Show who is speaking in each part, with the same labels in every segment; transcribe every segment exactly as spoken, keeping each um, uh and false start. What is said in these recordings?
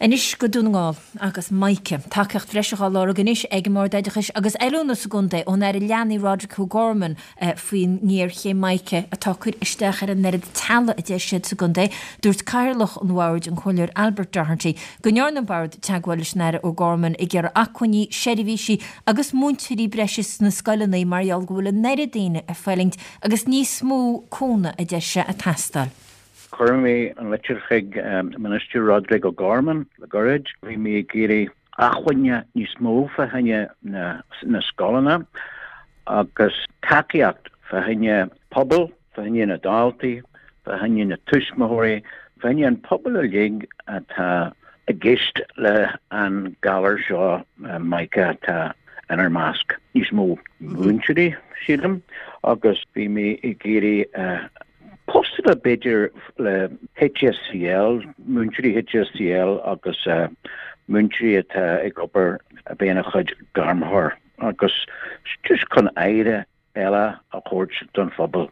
Speaker 1: Anois go Dún na nGall agus Mica. Tacaíocht bhreise á lorg anois ag an mBord Oideachais agus Oiliúna sa gcontae ón Aire Leanaí Roderic O'Gorman eh, faoin ngéarchéim Mica atá ag cur isteach ar an oiread teaghlach a deir siad sa gcontae. Dúirt Cathaoirleach an Bhoird an Comhairleoir Albert Doherty go ndearna an Bord teagmháil leis an Aire O'Gorman ag iarraidh acmhainní, seirbhísí agus múinteoirí breise sna scoileanna mar gheall go bhfuil an oiread daoine ag fulaingt agus níos mó cúnamh a deir sé ag teastáil.
Speaker 2: Chuir mé an litir chuig um, Minister Roderic O'Gorman le gairid, bhí mé ag iarraidh acmhainní níos mó fá choinne na, na scoileanna agus tacaíocht fá choinne pobal, fá choinne na daltaí, fá choinne na tuismitheoirí, fá choinne an pobal uilig atá i gceist le an galar seo uh, Mica atá inár measc. Níos mó múinteoirí sílim agus bhí mé ag iarraidh uh, postanna b'fhéidir le HSCL, múinteoirí HSCL agus uh, múinteoirí atá ag obair a bheith ina chuid gairmthóir agus just chun aire eile a thabhairt don phobal.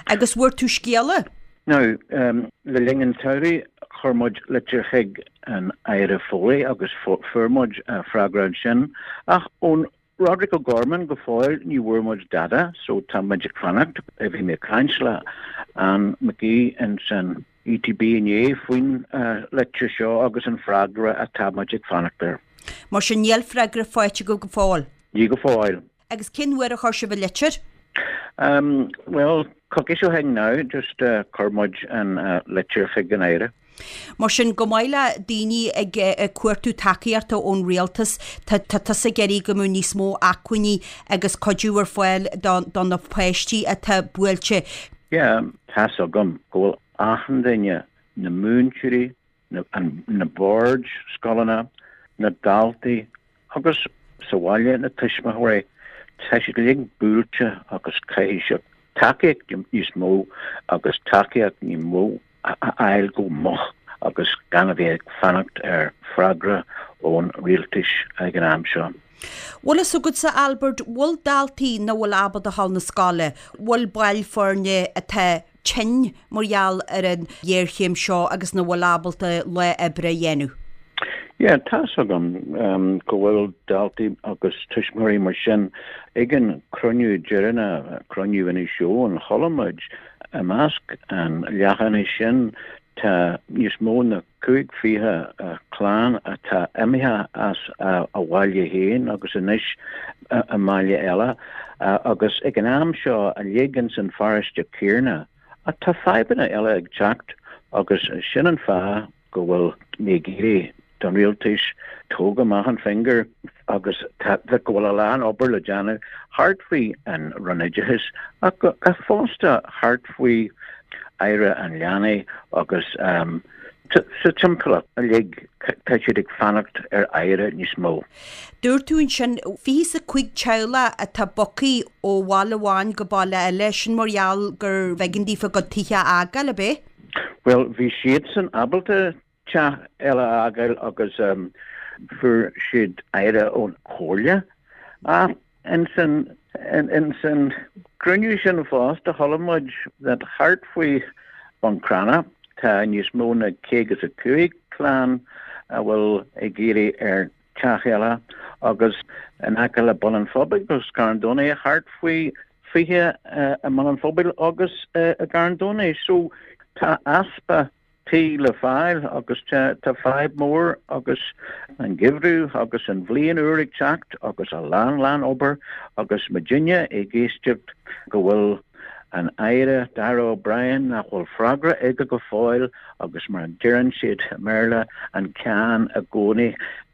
Speaker 3: Agus bhfuair tú scéala?
Speaker 2: Now, um, le linn an tsamhraidh chuir muid litir chuig an Aire Foley agus fuair muid uh, freagra ansin ach ón Roderic O'Gorman go fóill ní bhfuair muid dada, so tá muid ag fanacht a bhí mé caint le an McGee in san ETB inné faoin uh, litir seo agus an freagra atá muid ag fanacht air.
Speaker 3: Mar sin níl freagra faighte go go fóill.
Speaker 2: Ní go fóill.
Speaker 3: Agus cén uair a chuir sibh an litir?
Speaker 2: Um, well, coicís ó shin now, just uh, chuir muid an uh, litir chuig an Aire.
Speaker 3: Mar sin go maith le daoine ag ag cuartú tacaíochta ón rialtas tá tusa ag iarraidh go mbeadh níos mó acmhainní agus cuidiú ar fáil do na páistí atá buailte.
Speaker 2: Yeah, tá agam go bhfuil achan duine na múinteoirí, na, na boird scoileanna, na daltaí agus sa bhaile na tuismitheoirí tá siad uilig buailte agus caithfidh siad tacaíocht níos mó agus tacaíocht níos mó a fháil go moch agus gan a bheith ag fanacht ar freagra ón rialtas ag an am seo.
Speaker 3: Bhfuil a fhios agatsa Albert bhfuil daltaí nach bhfuil ábalta a ghabháil na scoile, bhfuil baill foirne atá tinn mar gheall ar an ghéarchéim seo agus nach bhfuil ábalta lá oibre a dhéanamh.
Speaker 2: Yeah, tá agam um, go bhfuil daltaí agus tuismitheoirí mar sin ag an cruinniú deireanach cruinniú ina seo an cholamid i measc an leathanaigh sin tá níos mó na cúig fiche uh, clann atá imithe as uh, a bhaile féin agus anois uh, a mbaile eile uh, agus ag an am seo uilig san pharóiste céanna tá fadhbanna eile ag teacht agus sin an fáth go bhfuil mé ag iarraidh don rialtas tóg amach an finger agus go bhfuil a lán obair le déanamh thart faoi an Roinn Oideachais ach fosta thart faoi Aire an leanaí agus um, sa timpeallacht uilig tá siad ag fanacht ar aire níos mó.
Speaker 3: Dúirt tú ansin fiche a cúig teaghlach atá bogtha ó bhaile amháin go baile eile sin mar gheall gur b'éigean daofa a gcuid tithe a fhágáil ab ea?
Speaker 2: Well, bhí siad san ábalta teach eile a fhágáil agus um, fuair siad aire ón chomhairle ach in san in, in san cruinniú sin fosta chuala muid that thart faoi Buncrana tá níos mó na caoga a cúig clann a bhfuil ag iarraidh ar teach eile agus in aice le Bun an Phobail agus Carn Domhnach thart faoi fiche uh, i mBun an Phobail agus uh, i gCarn Domhnach so tá easpa tí le fáil agus tá fadhb mór agus an geimhreadh agus an bhliain úr ag teacht agus a lán lán obair agus muidinne ag éisteacht go bhfuil an Aire Darragh O'Brien nach bhfuil freagra aige go fóill agus mar a deireann siad i mBéarla an ceann i gcónaí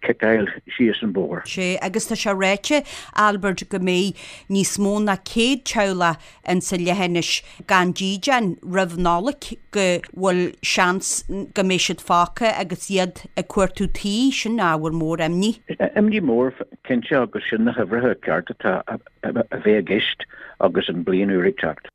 Speaker 2: ciceáil síos an bóthar.
Speaker 3: Sé agus tá sé ráite Albert go mbeidh níos mó ná céad teaghlach in sa leithinis gan dídean roimh Nollaig go bhfuil seans go mbeidh siad fágtha agus iad ag cuartú tí sin ábhar mór imní.
Speaker 2: Imní mór cinnte agus sin na huimhreacha ceart atá a bheith i gceist agus an bliain úr ag teacht.